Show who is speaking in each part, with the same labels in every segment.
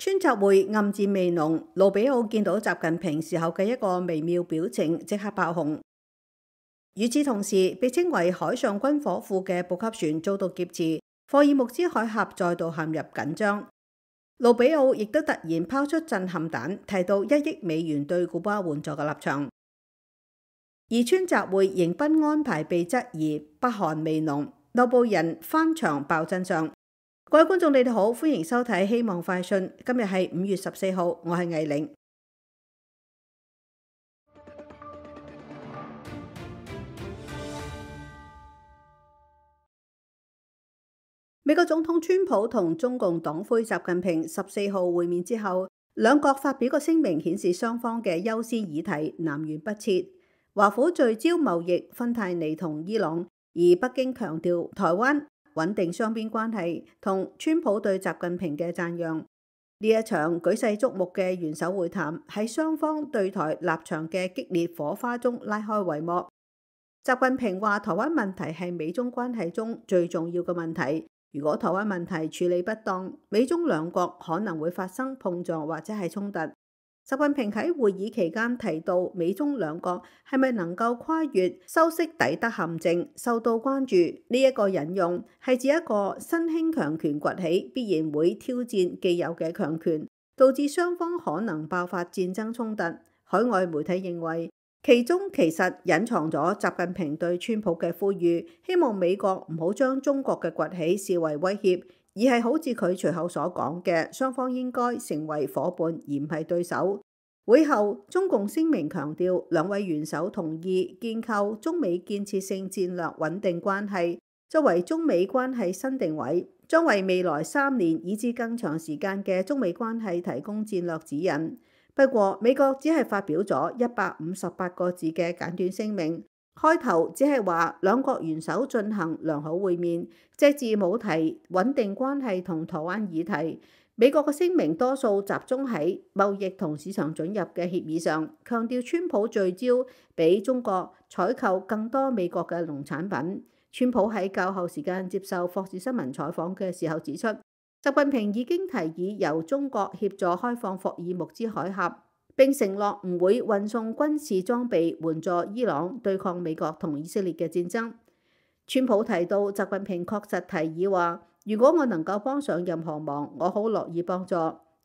Speaker 1: 川習會暗箭未濃，盧比奧見到習近平時候嘅一個微妙表情，即刻爆紅。與此同時，被稱為海上軍火庫嘅補給船遭到劫持，霍爾木茲海峽再度陷入緊張。盧比奧亦都突然拋出震撼彈，提到$1億對古巴援助嘅立場。而川習會迎賓安排被質疑，北韓未濃，內部人翻牆爆真相。各位觀眾，你哋好，歡迎收睇《希望快訊》。今日係5月14號，我係魏玲。美國總統川普同中共黨魁習近平14號會面之後，兩國發表個聲明，顯示雙方嘅優先議題南轅北轍。華府聚焦貿易、芬太尼同伊朗，而北京強調台灣穩定雙邊關係同川普對習近平嘅讚揚。呢一場舉世矚目嘅元首會談喺雙方對台立場嘅激烈火花中拉開帷幕。習近平話台灣問題係美中關係中最重要嘅問題，如果台灣問題處理不當，美中兩國可能會發生碰撞或者係衝突。習近平喺會議期間提到美中兩國係咪能夠跨越修昔底德陷阱，受到關注。呢一個引用係指一個新興強權崛起，必然會挑戰既有嘅強權，導致雙方可能爆發戰爭衝突。海外媒體認為，其中其實隱藏咗習近平對川普嘅呼籲，希望美國唔好將中國嘅崛起視為威脅，而係好似佢隨後所講嘅，雙方應該成為夥伴而唔係對手。會後，中共聲明強調，兩位元首同意建構中美建設性戰略穩定關係，作為中美關係新定位，將為未來3年以至更長時間嘅中美關係提供戰略指引。不過，美國只係發表咗158個字嘅簡短聲明，開頭只係話兩國元首進行良好會面，隻字冇提穩定關係同台灣議題。美國嘅聲明多數集中喺貿易同市場准入嘅協議上，強調川普聚焦俾中國採購更多美國嘅農產品。川普喺較後時間接受霍士新聞採訪嘅時候指出，習近平已經提議由中國協助開放霍爾木茲海峽，並承諾唔會運送軍事裝備援助伊朗對抗美國同以色列嘅戰爭。川普提到，習近平確實提議話，如果我能夠幫上任何忙，我好樂意幫助。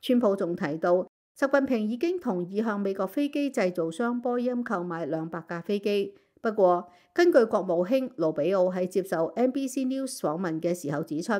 Speaker 1: 川普仲提到，習近平已經同意向美國飛機製造商波音購買200架飛機。不過，根據國務卿盧比奧喺接受 NBC News 訪問嘅時候指出，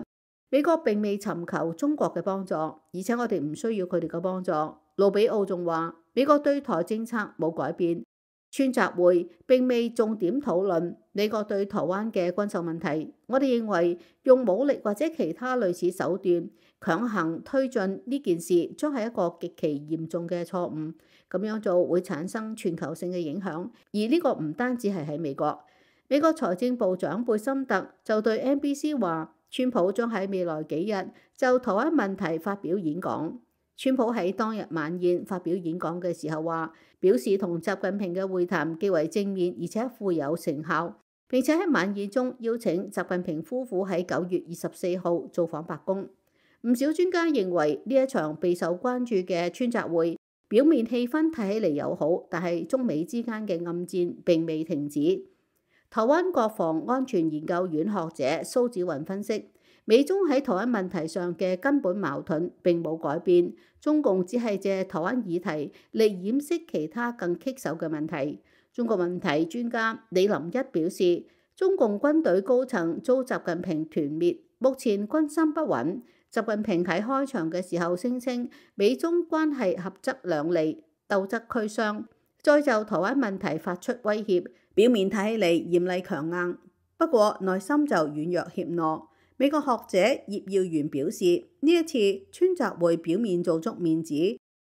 Speaker 1: 美國並未尋求中國嘅幫助，而且我哋唔需要佢哋嘅幫助。盧比奧仲話，美國對台政策冇改變。川習會並未重點討論美國對台灣嘅軍售問題。我哋認為用武力或者其他類似手段強行推進呢件事，將係一個極其嚴重嘅錯誤。咁樣做會產生全球性嘅影響，而呢個唔單止係喺美國。美國財政部長貝森特就對 NBC 話，川普將喺未來幾日就台灣問題發表演講。川普喺當日晚宴發表演講嘅時候話，表示同習近平嘅會談極為正面，而且富有成效。並且喺晚宴中邀請習近平夫婦喺9月24號造訪白宮。唔少專家認為呢一場備受關注嘅川習會，表面氣氛睇起嚟友好，但係中美之間嘅暗戰並未停止。台灣國防安全研究院學者蘇紫雲分析，美中喺台灣問題上嘅根本矛盾並冇改變，中共只係借台灣議題嚟掩飾其他更棘手嘅問題。中國問題專家李林一表示，中共軍隊高層遭習近平團滅，目前軍心不穩。習近平喺開場嘅時候聲稱美中關係合則兩利，鬥則俱傷，再就台灣問題發出威脅，表面睇起嚟嚴厲強硬，不過內心就軟弱怯懦。美國學者葉耀元表示，呢一次川習會表面做足面子，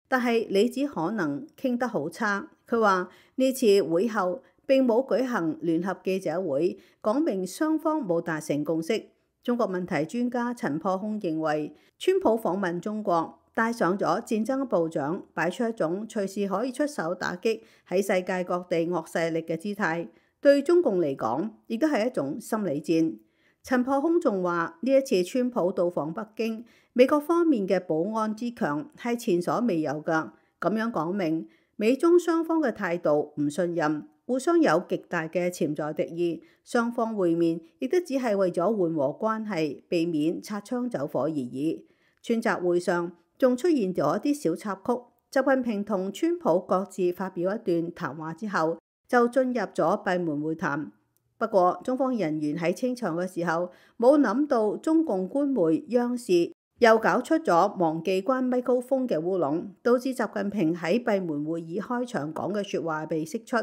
Speaker 1: 但係裏子可能傾得好差。佢話呢次會後並冇舉行聯合記者會，講明雙方冇達成共識。中國問題專家陳破空認為，川普訪問中國帶上咗戰爭部長，擺出一種隨時可以出手打擊喺世界各地惡勢力嘅姿態，對中共嚟講亦都係一種心理戰。陳破空仲話：呢一次川普到訪北京，美國方面嘅保安之強係前所未有㗎。咁樣講明美中雙方嘅態度唔信任，互相有極大嘅潛在敵意。雙方會面亦都只係為咗緩和關係，避免擦槍走火而已。川習會上仲出現咗一啲小插曲。習近平同川普各自發表一段談話之後，就進入咗閉門會談。不過，中方人員喺清場嘅時候，冇諗到中共官媒央視又搞出咗忘記關咪高峰嘅烏龍，導致習近平喺閉門會議開場講嘅説話被釋出。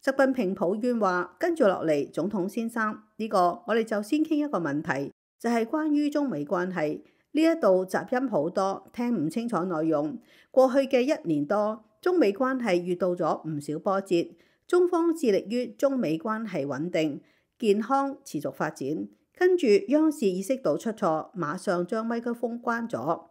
Speaker 1: 習近平抱怨話：跟住落嚟，總統先生，呢個我哋就先傾一個問題，就係關於中美關係。呢一度雜音好多，聽唔清楚內容。過去嘅1年多，中美關係遇到咗唔少波折。中方致力於中美關係穩定、健康、持續發展。跟住央視意識到出錯，馬上將咪克風關咗。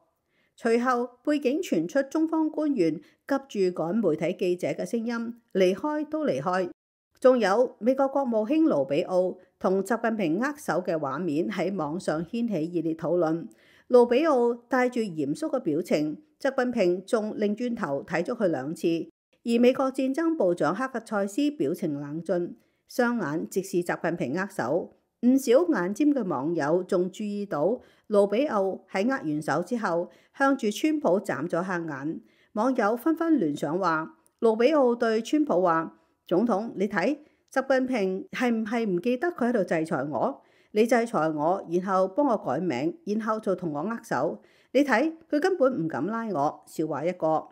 Speaker 1: 隨後背景傳出中方官員急住趕媒體記者嘅聲音，離開都離開。仲有美國國務卿盧比奧同習近平握手嘅畫面喺網上掀起熱烈討論。盧比奧帶住嚴肅嘅表情，習近平仲擰轉頭睇咗佢2次。而美國戰爭部長克格塞斯表情冷峻，雙眼直視習近平握手。唔少眼尖嘅網友仲注意到盧比奧喺握完手之後，向住川普眨咗下眼。網友紛紛聯想話，盧比奧對川普話：總統，你睇習近平係唔係唔記得佢喺度制裁我？你制裁我，然後幫我改名，然後就同我握手。你睇佢根本唔敢拉我，笑話一個。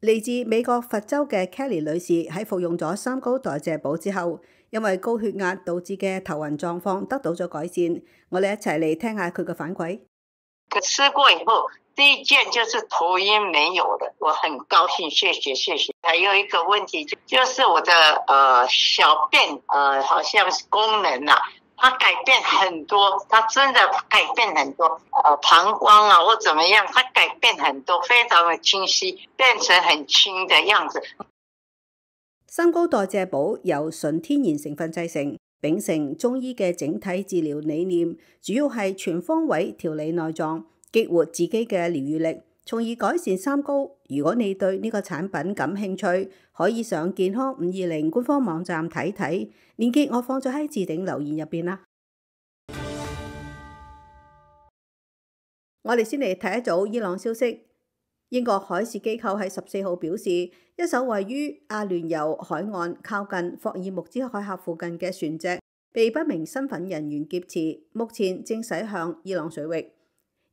Speaker 1: 嚟自美國佛州嘅 Kelly 女士喺服用咗三高代謝補之後，因為高血壓導致嘅頭暈狀況得到咗改善。我哋一齊嚟聽下佢嘅反饋。
Speaker 2: 吃過以後，第一件就是頭暈沒有了，我很高興，謝謝謝謝。還有一個問題就是我的小便好像是功能啊。它改變很多，它真的改變很多，膀胱啊或怎麼樣，它改變很多，非常的清晰，變成很輕的樣子。
Speaker 1: 三高代謝補由純天然成分製成，秉承中醫嘅整體治療理念，主要係全方位調理內臟，激活自己嘅療癒力，從而改善三高。如果你對呢個產品感興趣，可以上健康520官方網站睇睇，鏈接我放咗喺置頂留言入邊啦。我哋先嚟睇一組伊朗消息。英國海事機構喺14號表示，一艘位於阿聯酋海岸靠近霍爾木茲海峽附近嘅船隻被不明身份人員劫持，目前正駛向伊朗水域。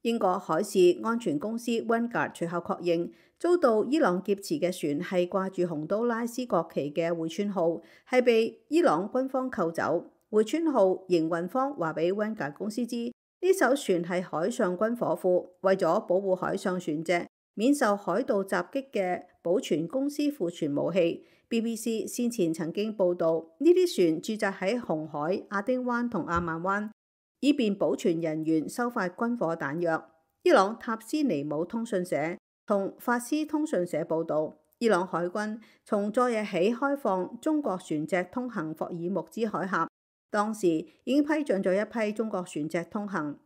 Speaker 1: 英國海事安全公司 Vanguard 隨後確認，遭到伊朗劫持嘅船係掛住洪都拉斯國旗嘅匯川號，係被伊朗軍方扣走。匯川號營運方話俾 Vanguard 公司知，呢艘船係海上軍火庫，為咗保護海上船隻免受海盜襲擊嘅保存公司庫存武器。BBC 先前曾經報導，呢啲船駐紮喺紅海、亞丁灣同阿曼灣，以便保存人員收發軍火彈藥。伊朗塔斯尼姆通訊社同法斯通訊社報導，伊朗海軍從昨日起開放中國船隻通行霍爾木茲海峽，當時已經批准咗一批中國船隻通行。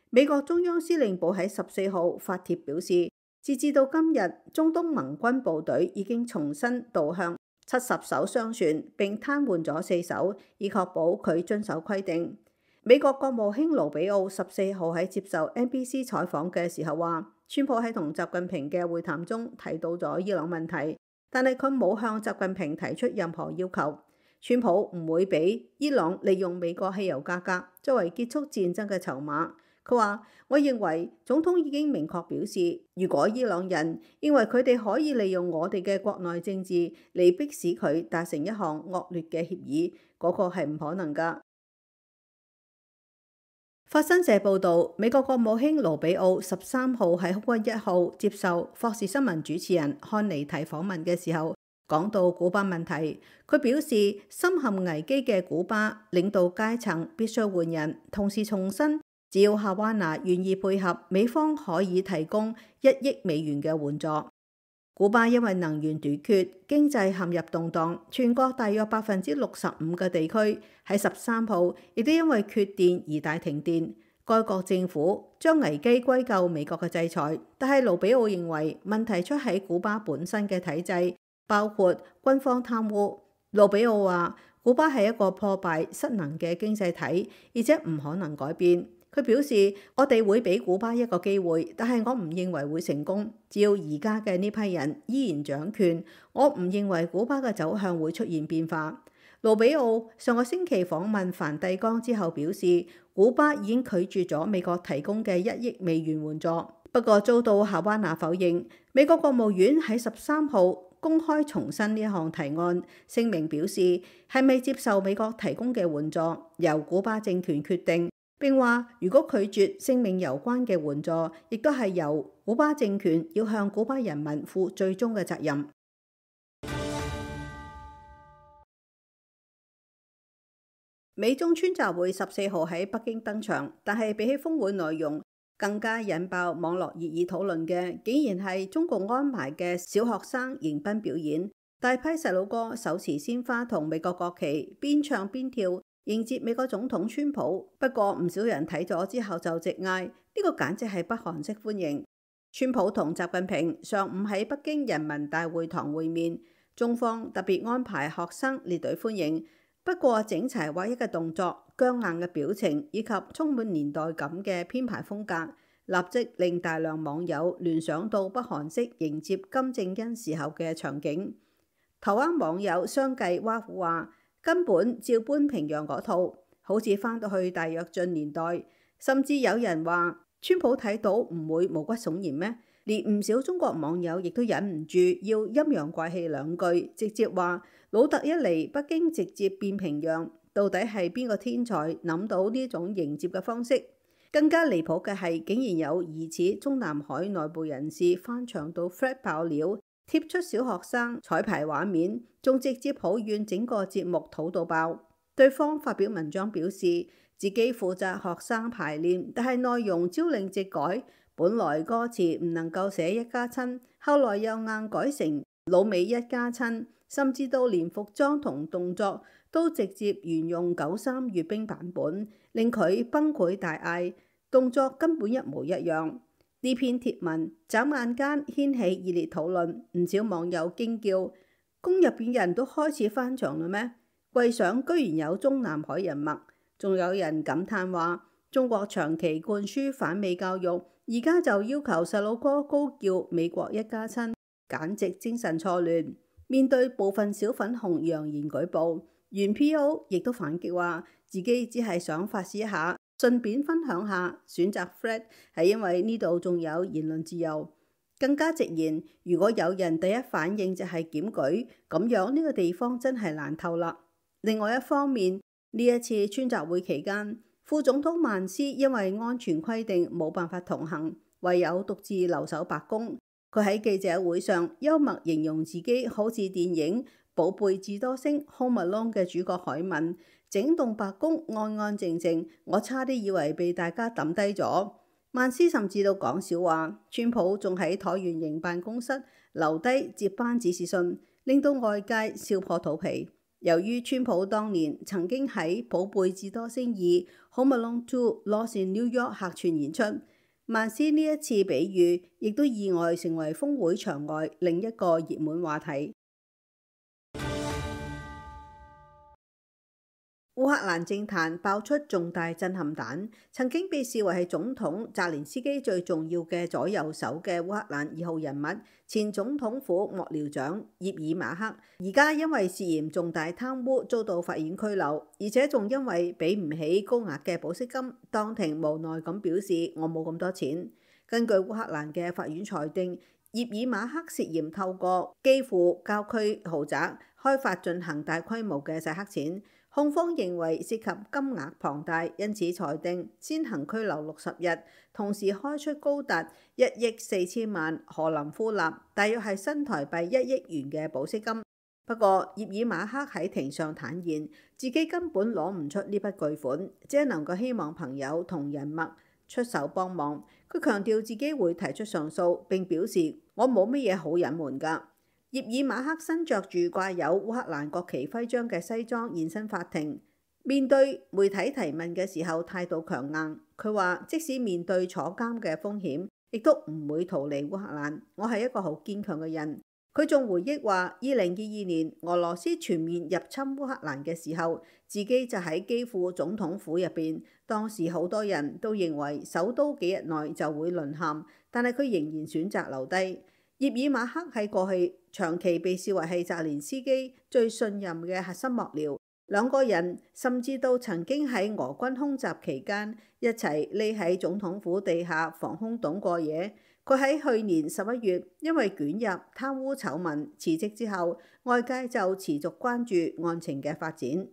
Speaker 1: 美國中央司令部喺14號發帖表示，截至到今日，中東盟軍部隊已經重新導向70艘商船，並癱瘓咗4艘，以確保佢遵守規定。美國國務卿盧比奧14號喺接受 NBC 採訪嘅時候話，川普喺同習近平嘅會談中提到咗伊朗問題，但係佢冇向習近平提出任何要求。川普唔會俾伊朗利用美國汽油價格作為結束戰爭嘅籌碼。佢話：我認為總統已經明確表示，如果伊朗人認為佢哋可以利用我哋嘅國內政治嚟迫使佢達成一項惡劣嘅協議，嗰個係唔可能㗎。法新社報導，美國國務卿盧比奧13號喺空軍1號接受霍士新聞主持人漢尼提訪問嘅時候，講到古巴問題，佢表示深陷危機嘅古巴領導階層必須換人，同時重申，只要夏灣拿願意配合，美方可以提供1億美元嘅援助。古巴因為能源短缺，經濟陷入動盪，全國大約65%嘅地區喺13號亦都因為缺電而大停電。該國政府將危機歸咎美國嘅制裁，但係盧比奧認為問題出喺古巴本身嘅體制，包括軍方貪污。盧比奧話：古巴係一個破敗失能嘅經濟體，而且唔可能改變。佢表示：我哋會俾古巴一個機會，但係我唔認為會成功。只要而家嘅呢批人依然掌權，我唔認為古巴嘅走向會出現變化。盧比奧上個星期訪問梵蒂岡之後表示，古巴已經拒絕咗美國提供嘅1億美元援助，不過遭到夏灣拿否認。美國國務院喺13號公開重申呢一項提案，聲明表示係咪接受美國提供嘅援助，由古巴政權決定。並話，如果拒絕性命攸關嘅援助，亦都係由古巴政權要向古巴人民負最終嘅責任。美中川習會14號喺北京登場，但係比起峰會內容，更加引爆網絡熱議討論嘅，竟然係中共安排嘅小學生迎賓表演，大批細路哥手持鮮花同美國國旗，邊唱邊跳，迎接美國總統川普。不過唔少人睇咗之後就直嗌：呢個簡直係北韓式歡迎。川普同習近平上午喺北京人民大會堂會面，中方特別安排學生列隊歡迎。不過整齊劃一嘅動作、僵硬嘅表情以及充滿年代感嘅編排風格，立即令大量網友聯想到北韓式迎接金正恩時候嘅場景。台灣網友相繼挖苦話：根本照搬平壤嗰套，好似翻到去大躍進年代。甚至有人話：川普睇到唔會毛骨悚然咩？連唔少中國網友亦都忍唔住要陰陽怪氣兩句，直接話：老特一嚟，北京直接變平壤，到底係邊個天才諗到呢種迎接嘅方式？更加離譜嘅係，竟然有疑似中南海內部人士翻牆到 Thread 爆料，貼出小學生彩排畫面，仲直接抱怨整個節目土到爆。對方發表文章表示，自己負責學生排練，但係內容朝令夕改。本來歌詞唔能夠寫一家親，後來又硬改成老美一家親，甚至到連服裝同動作都直接沿用93閱兵版本，令佢崩潰大嗌，動作根本一模一樣。呢篇貼文眨眼間掀起熱烈討論，唔少網友驚叫：宮入邊人都開始翻牆啦咩？櫃上居然有中南海人物，仲有人感嘆話：中國長期灌輸反美教育，而家就要求細路哥高叫美國一家親，簡直精神錯亂。面對部分小粉紅揚言舉報，原 PO 亦都反擊話自己只係想發泄一下，順便分享下，選擇 Thread 係因為呢度仲有言論自由。更加直言，如果有人第一反應就係檢舉，咁樣呢個地方真係難透啦。另外一方面，呢一次川習會期間，副總統曼斯因為安全規定冇辦法同行，唯有獨自留守白宮。佢喺記者會上幽默形容自己好似電影《寶貝智多星 Home Alone》嘅主角海文，整棟白宮安安靜靜，我差啲以為被大家抌低咗。曼斯甚至都講笑話，川普仲喺橢圓形辦公室留低接班指示信，令到外界笑破肚皮。由於川普當年曾經喺《寶貝智多星2 Home Alone 2 Lost in New York》客串演出，曼斯呢一次比喻亦都意外成為峰會場外另一個熱門話題。烏克蘭政壇爆出重大震撼彈，曾經被視為係總統澤連斯基最重要嘅左右手嘅烏克蘭2號人物，前總統府幕僚長葉爾馬克，而家因為涉嫌重大貪污遭到法院拘留，而且仲因為俾唔起高額嘅保釋金，當庭無奈咁表示我冇咁多錢。根據烏克蘭嘅法院裁定，葉爾馬克涉嫌透過基輔郊區豪宅開發進行大規模嘅洗黑錢。控方認為涉及金額龐大，因此裁定先行拘留60日，同時開出高達1億4千萬荷林夫納，大約係新台幣1億元嘅保釋金。不過葉爾馬克喺庭上坦言，自己根本攞唔出呢筆巨款，只係能夠希望朋友同人脈出手幫忙。佢強調自己會提出上訴，並表示我冇乜嘢好隱瞞㗎。葉爾馬克身着住掛有烏克蘭國旗徽章嘅西裝現身法庭，面對媒體提問嘅時候態度強硬。佢話即使面對坐監嘅風險，亦都唔會逃離烏克蘭。我係一個好堅強嘅人。佢仲回憶話，2022年俄羅斯全面入侵烏克蘭嘅時候，自己就喺基輔總統府入邊。當時好多人都認為首都幾日內就會淪陷，但係佢仍然選擇留低。葉爾馬克喺過去長期被視為係澤連斯基最信任嘅核心幕僚，兩個人甚至都曾經喺俄軍空襲期間一齊匿喺總統府地下防空洞過夜。佢喺去年11月因為捲入貪污醜聞辭職之後，外界就持續關注案情嘅發展。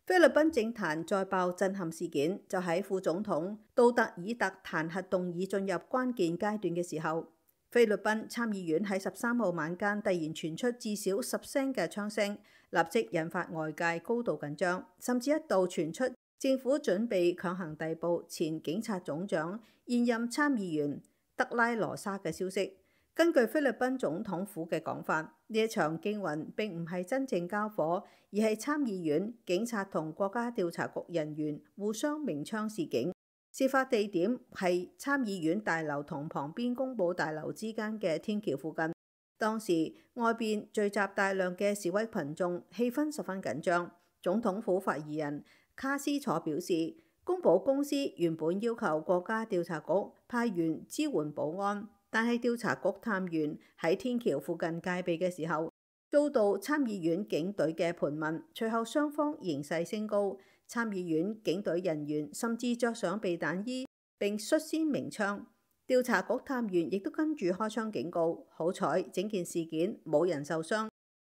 Speaker 1: 菲律賓政壇再爆震撼事件，就喺副總統杜特爾特彈劾動議進入關鍵階段嘅時候，菲律賓參議院喺13號晚間突然傳出至少10聲嘅槍聲，立即引發外界高度緊張，甚至一度傳出政府準備強行逮捕前警察總長、現任參議員德拉羅莎嘅消息。根據菲律賓總統府嘅講法，呢一場驚魂並唔係真正交火，而係參議院警察同國家調查局人員互相鳴槍示警。事發地點係參議院大樓同旁邊公佈大樓之間嘅天橋附近。當時外邊聚集大量嘅示威群眾，氣氛十分緊張。總統府發言人卡斯楚表示，公保公司原本要求國家調查局派員支援保安，但係調查局探員喺天橋附近戒備嘅時候，遭到參議院警隊嘅盤問。隨後雙方形勢升高，參議院警隊人員甚至着上避彈衣並率先鳴槍。調查局探員亦都跟住開槍警告。好彩整件事件冇人受傷，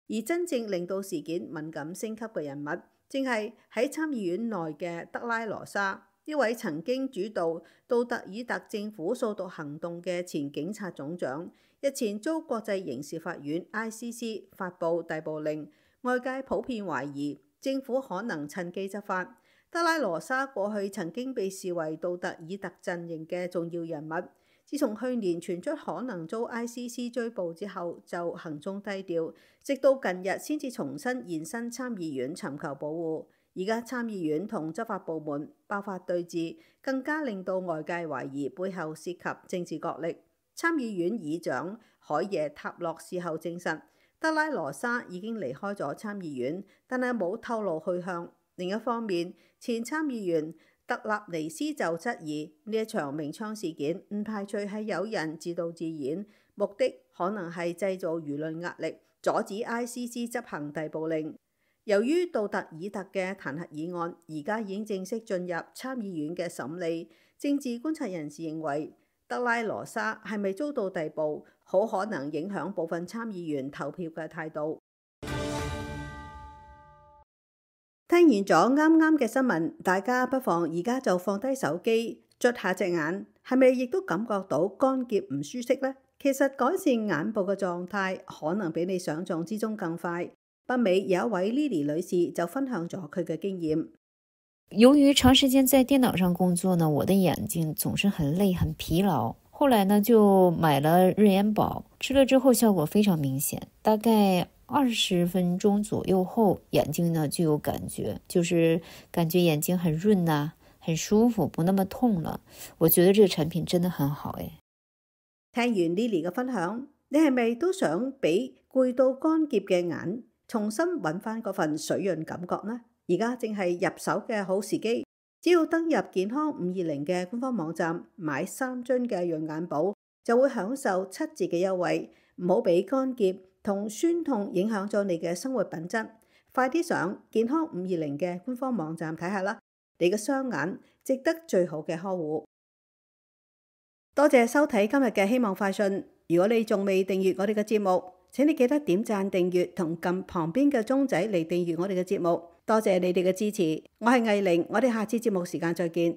Speaker 1: 而真正令到事件敏感升級嘅人物，正係喺參議院內嘅德拉羅莎，呢位曾經主導杜特爾特政府掃毒行動嘅前警察總長，日前遭國際刑事法院 ICC 發布逮捕令，外界普遍懷疑政府可能趁機執法。德拉羅莎過去曾經被視為杜特爾特陣營嘅重要人物，自從去年傳出可能遭 ICC 追捕之後，就行蹤低調，直到近日先至重新現身參議院尋求保護。而家參議院同執法部門爆發對峙，更加令到外界懷疑背後涉及政治角力。參議院議長海耶塔洛事後證實，德拉羅莎已經離開咗參議院，但係冇透露去向。另一方面，前參議員特納尼斯就質疑呢一場鳴槍事件唔排除係有人自導自演，目的可能係製造輿論壓力，阻止 ICC 執行逮捕令。由於杜特爾特嘅彈劾議案而家已經正式進入參議院嘅審理，政治觀察人士認為德拉羅莎係咪遭到逮捕，好可能影響部分參議員投票嘅態度。聽完咗啱啱嘅新聞，大家不妨而家就放低手機，捽下隻眼，係咪亦都感覺到乾澀唔舒適呢？其實改善眼部嘅狀態可能比你想象之中更快。北美有一位 Lily 女士就分享咗佢嘅經驗。
Speaker 3: 由於長時間在電腦上工作呢，我的眼睛總是很累很疲勞。後來呢就買了日眼寶，吃了之後效果非常明顯，大概20分鐘左右後，眼睛呢就有感覺，就是感覺眼睛很潤啊，很舒服，不那麼痛了。我覺得這個產品真的很好誒。
Speaker 1: 聽完 Lily 嘅分享，你係咪都想俾攰到乾澀嘅眼重新揾翻嗰份水潤感覺呢？而家正係入手嘅好時機，只要登入健康520嘅官方網站，買3樽嘅潤眼寶，就會享受7折嘅優惠。唔好俾乾澀同酸痛影響咗你嘅生活品質。快啲上健康520嘅官方網站睇下啦，你嘅雙眼值得最好嘅呵護。多謝收睇今日嘅希望快訊。如果你仲未訂閱我哋嘅節目，請你記得點讚訂閱同撳旁邊嘅鐘仔嚟訂閱我哋嘅節目。多謝你哋嘅支持，我係藝玲，我哋下次節目時間再見。